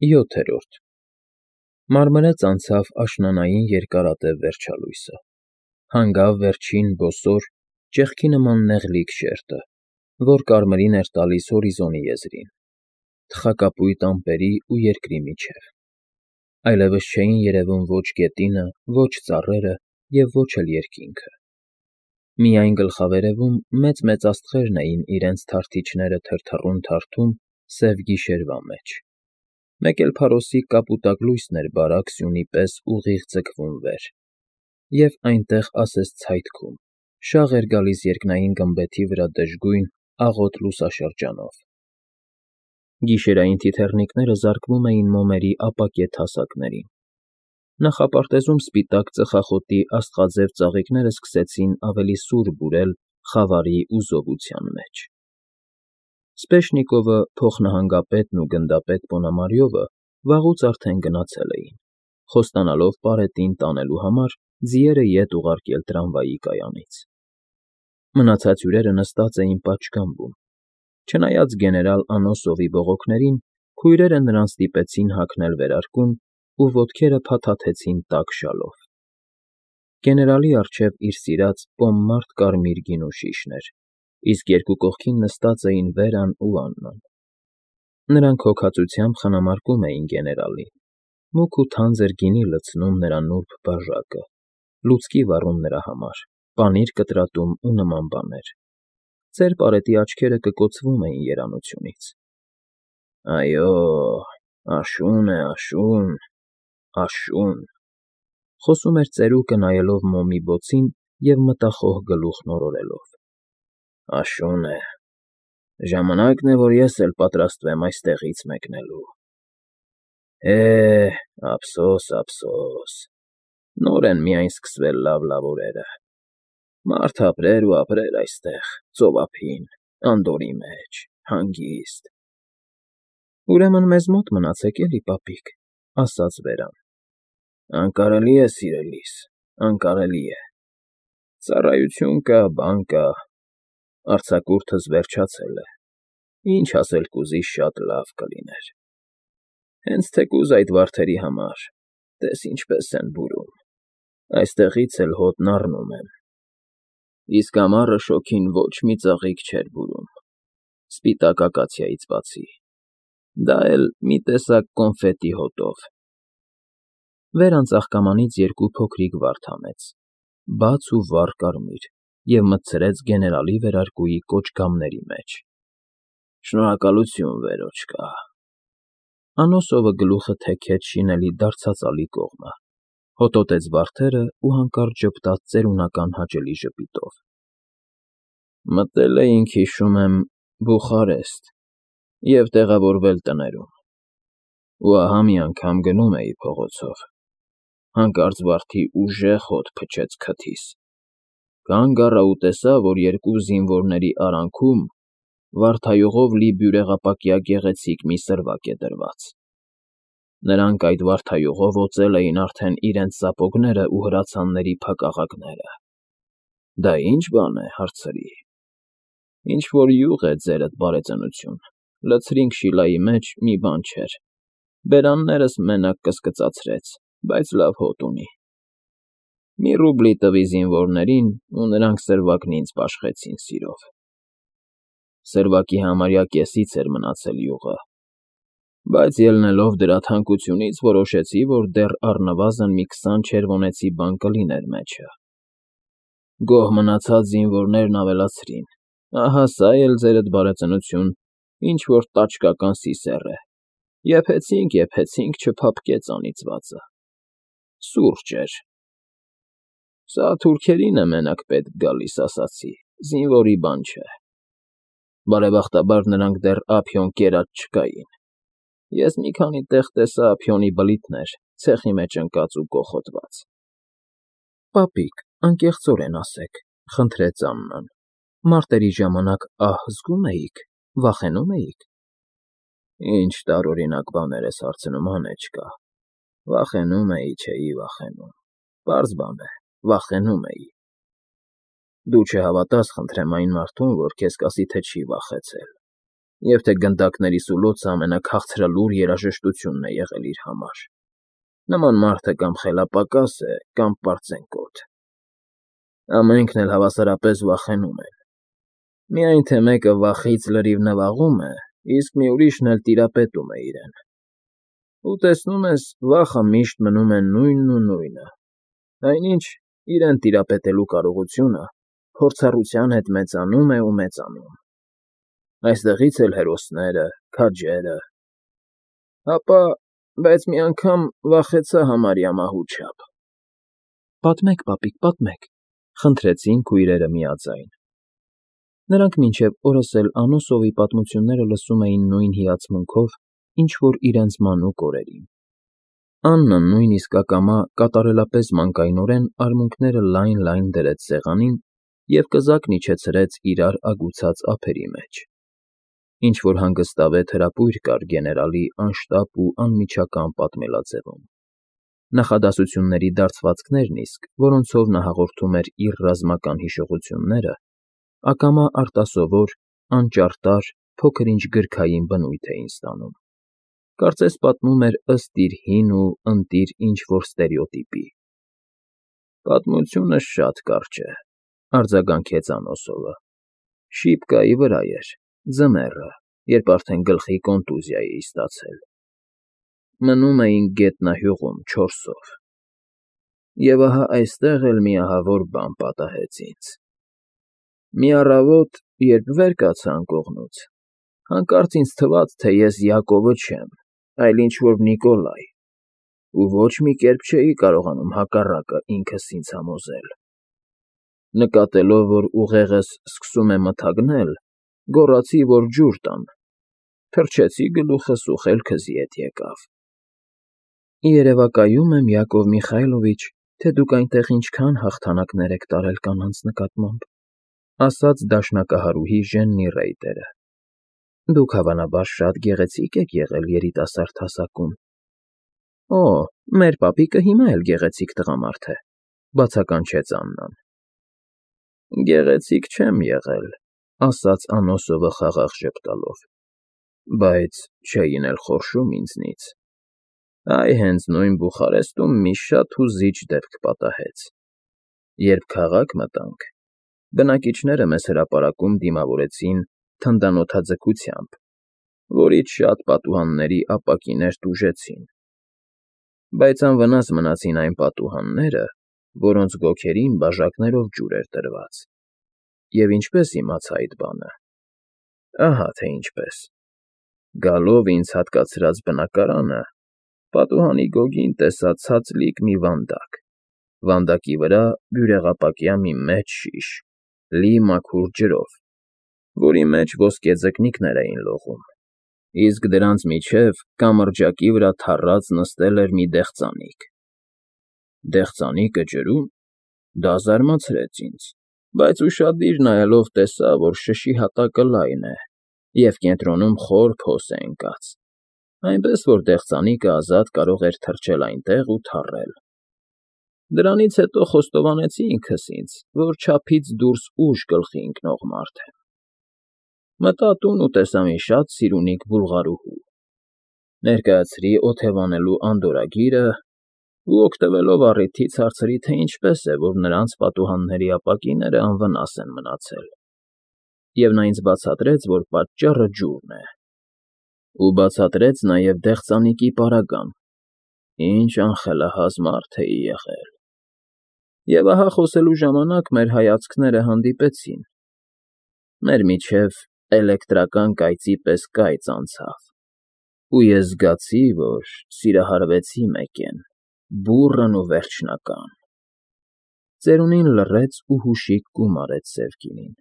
7. Մարմրեց անցավ աշնանային երկարատև վերջալույսը, հանգավ վերջին բոսոր, ճեղքի նման նեղլիկ շերտը, որ կարմիրին էր տալիս հորիզոնի եզրին, թխակապույտ ամպերի ու երկրի միջև. այլևս չէին երևում ոչ գետինը, ոչ ծառերը և ոչ էլ երկինքը. միայն գլխավերևում մեծ-մեծ աստղերն էին իրենց թարթիչները թրթռուն թարթում սև գիշերվա մեջ, մեկ էլ փարոսի կապուտակ լույսն էր բարակ սյունի պես ուղիղ ձգվում վեր, և այնտեղ ասես ցայտքում, շաղ էր գալիս երկնային գմբեթի վրա դժգույն, աղոտ լուսաշրջանով. գիշերային թիթեռնիկները զարկվում էին մոմերի ապակե թասակներին, նախապարտեզում սպիտակ ծխախոտի աստղաձև ծաղիկներն սկսեցին ավելի սուր բուրել խավարի ու զովության մեջ. Սպեշնիկովը, փոխնահանգապետն ու գնդապետ Պոնամարյովը վաղուց արդեն գնացել էին, խոստանալով պարետին տանելու համար ձիերը ետ ուղարկել տրամվայի կայանից. մնացած հյուրերը նստած էին պատշգամբում, չնայած գեներալ Անոսովի բողոքներին, քույրերը նրան ստիպեցին հագնել վերարկուն ու ոտքերը փաթաթեցին տաք շալով. գեներալի առջև իր սիրած պոմմարդ կարմիր գինու շիշն էր, իսկ երկու կողքին նստած էին Վերան ու Աննան. նրանք հոգածությամբ խնամարկում էին գեներալին, մուգ ու թանձր գինի լցնում նրա նուրբ բաժակը, լուցկի վառում նրա համար, պանիր կտրատում ու նման բաներ. ծեր պարետի աչքերը կկոցվում էին երանությունից. «Այո, աշուն է, աշուն, աշուն», խոսում էր ծերուկը նայելով մոմի բոցին և մտախոհ գլուխն օրորելով. «Աշուն է, ժամանակն է, որ ես էլ պատրաստվեմ այստեղից մեկնելու։ Ափսոս, ափսոս, նոր են միայն սկսվել լավ օրերը, մարդ ապրեր ու ապրեր այստեղ, ծովափին, անդորրի մեջ, հանգիստ»։ «Ուրեմն մեզ մոտ մնացեք էլի, պապիկ», ասաց Վերան. «Անկարելի է, սիրելիս, անկարելի է, ծառայություն կա, բան կա, արձակուրդս վերջացել է, ինչ ասել կուզիս, շատ լավ կլիներ, հենց թեկուզ այդ վարդերի համար, տես ինչպես են բուրում, այստեղից էլ հոտն առնում են, իսկ ամառը շոգին ոչ մի ծաղիկ չէր բուրում, սպիտակ ակացիայից բացի, դա էլ մի տեսակ կոնֆետի հոտով»։ Վերան ծաղկամանից երկու փոքրիկ վարդ հանեց, բաց ու վառ կարմիր, և մտցրեց գեներալի վերարկուի կոճգամների մեջ. «Շնորհակալություն, վերոչկա»։ Անոսովը գլուխը թեքեց շինելի դարձածալի կողմը, հոտոտեց վարդերն ու հանկարծ ժպտաց ծերունական հաճելի ժպիտով. «Մտել էինք, հիշում եմ, Բուխարեստ և տեղավորվել տներում, ու ահա մի անգամ գնում էի փողոցով, հանկարծ վարդի ուժեղ հոտ փչեց քթիս, կանգ առա ու տեսա, որ երկու զինվորների արանքում վարդայողով լի բյուրեղապակյա գեղեցիկ մի սրվակ է դրված. նրանք այդ վարդայողով օծել էին արդեն իրենց սապոգներն ու հրացանների փակաղակները։ Դա ի՞նչ բան է, հարցրի։ Ինչ-որ յուղ է, ձերդ բարեծնություն, լցրինք շիլայի մեջ, մի բան չէր, բերաններս մենակ կսկծացրեց, բայց լավ հոտ ունի։ Մի ռուբլի տվի զինվորներին, ու նրանք սրվակն ինձ պաշխեցին սիրով։ Սրվակի համարյա կեսից էր մնացել յուղը, բայց ելնելով դրա թանկությունից որոշեցի, որ դեռ առնվազն մի 20 չերվոնեցի բան կլիներ մեջը։ Գոհ մնացած զինվորներն ավելացրին, ահա սա էլ, ձերդ բարեծնություն, ինչ֊որ տաճկական սիսեռ է, եփեցինք, չփափկեց անիծվածը, սուրճ էր։ Սա թուրքերին է մենակ պետք գալիս, ասացի, զինվորի բան չէ։ Բարեբախտաբար նրանք դեռ ափիոն կերած չկային, ես մի քանի տեղ տեսա ափիոնի բլիթներ, ցեխի մեջ ընկած ու կոխոտված։ Պապիկ, անկեղծորեն ասեք, խնդրեց Աննան, մարտերի ժամանակ ահ զգո՞ւմ էիք, վախենո՞ւմ էիք։ Ինչ տարօրինակ բաներ ես հարցնում, Անեչկա, վախենում էի, չէի վախենում, պարզ բան է, վախենում էի։ Դու չհավատաս, խնդրեմ, այն մարդուն, որ քեզ կասի, թե չի վախեցել։ Եվ թե գնդակների սուլոցը ամենաքաղցրալուր երաժշտությունն է եղել իր համար։ Նման մարդը կամ խելապակաս է, կամ պարծենկոտ։ Ամենքն էլ հավասարապես վախենում են։ Միայն թե մեկը վախից լրիվ նվաղում է, իսկ մի ուրիշն էլ տիրապետում է իրեն։ Ու տեսնում ես, վախը միշտ մնում է նույնն ու նույնը, այնինչ իրեն տիրապետելու կարողությունը փորձառության հետ մեծանում է ու մեծանում։ Այստեղից էլ հերոսները, քաջերը։ Հապա, բայց մի անգամ վախեցա համարյա մահու չափ։ Պատմեք, պապիկ, պատմեք, խնդրեցին քույրերը միաձայն։ Նրանք մինչև օրս էլ Անոսովի պատմությունները լսում էին նույն հիացմունքով, ինչ որ իրենց մանուկ օրերին։ Աննան նույնիսկ ակամա կատարելապես մանկայնորեն արմունկները լայն դրեց սեղանին և կզակն իջեցրեց իրար ագուցած ափերի մեջ։ Ինչ-որ հանգստավետ հրապույր կար գեներալի անշտապ ու անմիջական պատմելաձևում։ Նախադասությունների դարձվածքներն իսկ, որոնցով նա հաղորդում էր իր ռազմական հիշողությունները, ակամա արտասովոր, անճարտար, փոքր-ինչ գրքային բնույթ էին ստանում։ Կարծես պատմում էր ըստ իր հին ու ընտիր ինչ-որ ստերեոտիպի։ Պատմությունը շատ կարճ է, արձագանքեց Անոսովը։ Շիպկայի վրա էր, ձմեռը, երբ արդեն գլխի կոնտուզիա էի ստացել։ Մնում էինք գետնահյուղում 4-ով։ Եվ ահա այստեղ էլ մի ահավոր բան պատահեց ինձ։ Մի առավոտ, երբ վեր կացա անկողնուց, հանկարծ ինձ թվաց, թե ես Յակովը չեմ, այլ ինչ-որ Նիկոլայ, ու ոչ մի կերպ չէի կարողանում հակառակը ինքս ինձ համոզել։ Նկատելով, որ ուղեղս սկսում է մթագնել, գոռացի, որ ջուր տան, թռչեցի գլուխս ու խելքս ետ եկավ։ Երևակայում եմ, Յակով Միխայլովիչ, թե դուք այնտեղ ինչքան հաղթանակներ եք տարել կանանց նկատմամբ, ասաց դաշնակահարուհի Ժեննի Ռեյտերը։ Դուք հավանաբար շատ գեղեցիկ եք եղել երիտասարդ հասակում։ Օ, մեր պապիկը հիմա էլ գեղեցիկ տղամարդ է, բացականչեց Աննան։ Գեղեցիկ չեմ եղել, ասաց Անոսովը խաղաղ ժպտալով, բայց չէին էլ խորշում ինձնից։ Այ հենց նույն Բուխարեստում մի շատ հուզիչ դեպք պատահեց։ Երբ քաղաք մտանք, բնակիչները մեզ հրապարակում դիմավորեցին թնդանոթաձգությամբ, որից շատ պատուհանների ապակիներ տուժեցին։ Բայց անվնաս մնացին այն պատուհանները, որոնց գոգերին բաժակներով ջուր էր տրված։ Եվ ինչպես իմացա այդ բանը։ Ահա թե ինչպես։ Գալով ինձ հատկացրած բնակարանը, պատուհանի գոգին տեսա ցածլիկ մի վանդակ, վանդակի վրա բյուրեղապակյա մի մեծ շիշ, լի մաքուր ջրով, որի մեջ ոսկե ձկնիկներ էին լողում, իսկ դրանց միջև կամրջակի վրա թառած նստել էր մի դեղձանիկ։ Դեղձանիկը ջրում, դա զարմացրեց ինձ, բայց ուշադիր նայելով տեսա, որ շշի հատակը լայն է և կենտրոնում խոր փոս է ընկած, այնպես որ դեղձանիկը ազատ կարող էր թռչել այնտեղ ու թառել։ Դրանից հետո խոստովանեցի ինքս ինձ, որ չափից դուրս ուժ գլխի ընկնող մարդ եմ։ Մտա տուն ու տեսա մի շատ սիրունիկ բուլղարուհու։ Ներկայացրի օթևանելու անդորրագիրը ու օգտվելով առիթից հարցրի, թե ինչպես է, որ նրանց պատուհանների ապակիները անվնաս են մնացել։ Եվ նա ինձ բացատրեց, որ պատճառը ջուրն է։ Ու բացատրեց նաև դեղձանիկի պարագան, ինչ անխելահազ մարդ էի եղել։ Եվ ահա խոսելու ժամանակ մեր հայացքները հանդիպեցին։ Մեր միջև էլեկտրական կայծի պես կայծ անցավ, ու ես զգացի, որ սիրահարվեցի մեկեն, բուռն ու վերջնական։ Ծերունին լռեց ու հուշիկ կում արեց սև կինին։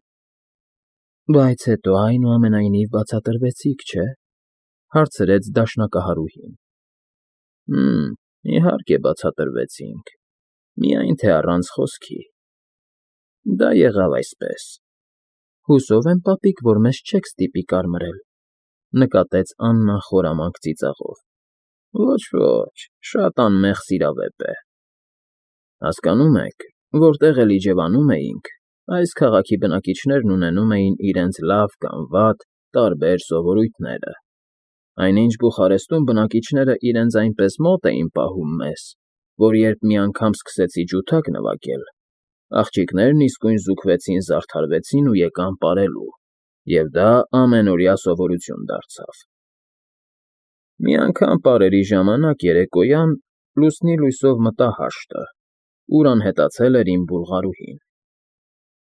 Բայց հետո այնուամենայնիվ բացատրվեցիք, չէ՞, հարցրեց դաշնակահարուհին։ Իհարկե բացատրվեցինք, միայն թե առանց խոսքի։ Դա եղավ այսպես. Հուսով եմ, պապիկ, որ մեզ չեք ստիպի կարմրել, նկատեց Աննան խորամանկ ծիծաղով։ Ոչ, շատ անմեղ սիրավեպ է։ Հասկանում եք, որտեղ էլ իջևանում էինք, այս քաղաքի բնակիչներն ունենում էին իրենց լավ կամ վատ, տարբեր սովորույթները։ Այնինչ Բուխարեստում բնակիչները իրենց այնպես մոտ էին պահում մեզ, որ երբ մի անգամ սկսեցի ջութակ նվագել, աղջիկներն իսկույն զուգվեցին, զարդարվեցին ու եկան պարելու, և դա ամենօրյա սովորություն դարձավ։ Մի անգամ պարերի ժամանակ երեկոյան լուսնի լույսով մտա հաշտը, ուր անհետացել էր իմ բուլղարուհին։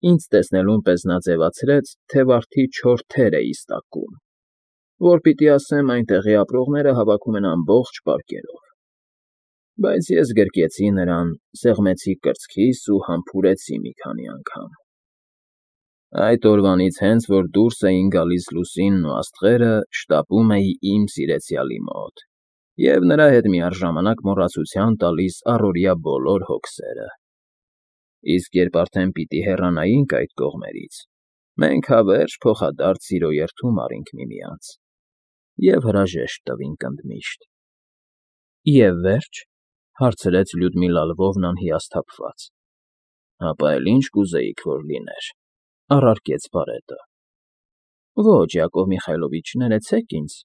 Ինձ տեսնելուն պես նա ձևացրեց, թե վարդի չոր թեր էի ստակում, որ պիտի ասեմ այնտեղի ապրողները հավաքում են ամբողջ պարկերով, բայց ես գրկեցի նրան, սեղմեցի կրծքիս ու համբուրեցի մի քանի անգամ։ Այդ օրվանից հենց որ դուրս էին գալիս լուսինն ու աստղերը, շտապում էի իմ սիրեցյալի մոտ և նրա հետ միառժամանակ մոռացության տալիս առօրյա բոլոր հոգսերը։ Իսկ երբ արդեն պիտի հեռանայինք այդ կողմերից, մենք հավերժ փոխադարձ սիրո երդում առինք միմյանց և հրաժեշտ տվինք ընդմիշտ։ Եվ վերջ, հարցրեց Լյուդմիլա Լվովնան հիասթափված։ Հապա էլ ինչ կուզեիք, որ լիներ, առարկեց բարետը։ Ոչ, Յակով Միխայլովիչ, ներեցեք ինձ,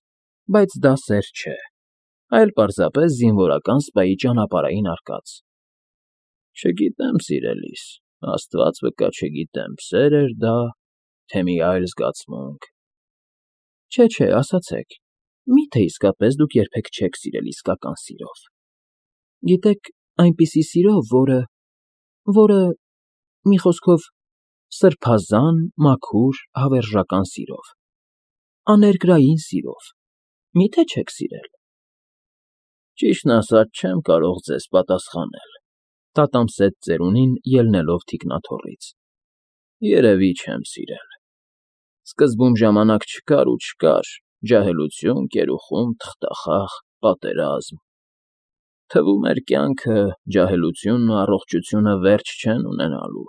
բայց դա սեր չէ, այլ պարզապես զինվորական սպայի ճանապարհային արկած։ Չգիտեմ, սիրելիս, Աստված վկա, չգիտեմ, սեր էր դա, թե մի այլ զգացմունք։ Չէ, ասացեք, մի՞թե իսկապես դուք երբեք չեք սիրել իսկական սիրով։ Գիտեք, այնպիսի սիրով, որը, մի խոսքով, սրբազան, մաքուր, հավերժական սիրով, աներկրային սիրով, մի՞թե չեք սիրել։ Ճիշտն ասած, չեմ կարող ձեզ պատասխանել, տատամսեց ծերունին, ելնելով թիկնաթոռից։ Երևի չեմ սիրել։ Սկզբում ժամանակ չկար ու չկար, ջահելություն, գերուխում, թղթախաղ, պատերազմ։ Թվում էր կյանքը, ջահելությունն ու առողջությունը վերջ չեն ունենալու։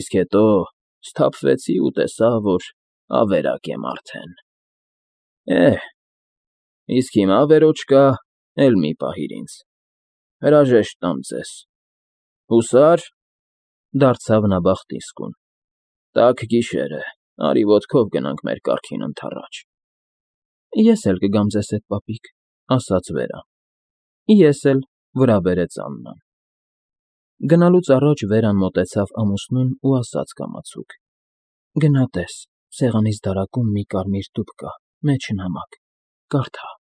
Իսկ հետո սթափվեցի ու տեսա, որ ավերակ եմ արդեն։ Իսկ հիմա, վերոջկա, էլ մի պահիր ինձ, հրաժեշտ տամ ձեզ։ Հուսա՞ր, դարձավ նա Բախտիսկուն, տաք գիշեր է, արի ոտքով գնանք մեր կառքին ընդառաջ։ Ես էլ կգամ ձեզ հետ, պապիկ, ասաց Վերան։ Ես էլ, վրա բերեց Աննան։ Գնալուց առաջ Վերան մոտեցավ ամուսնուն ու ասաց կամացուկ. Գնա տես, սեղանիս դարակում մի կարմիր տուփ կա, մեջը նամակ, կարդա։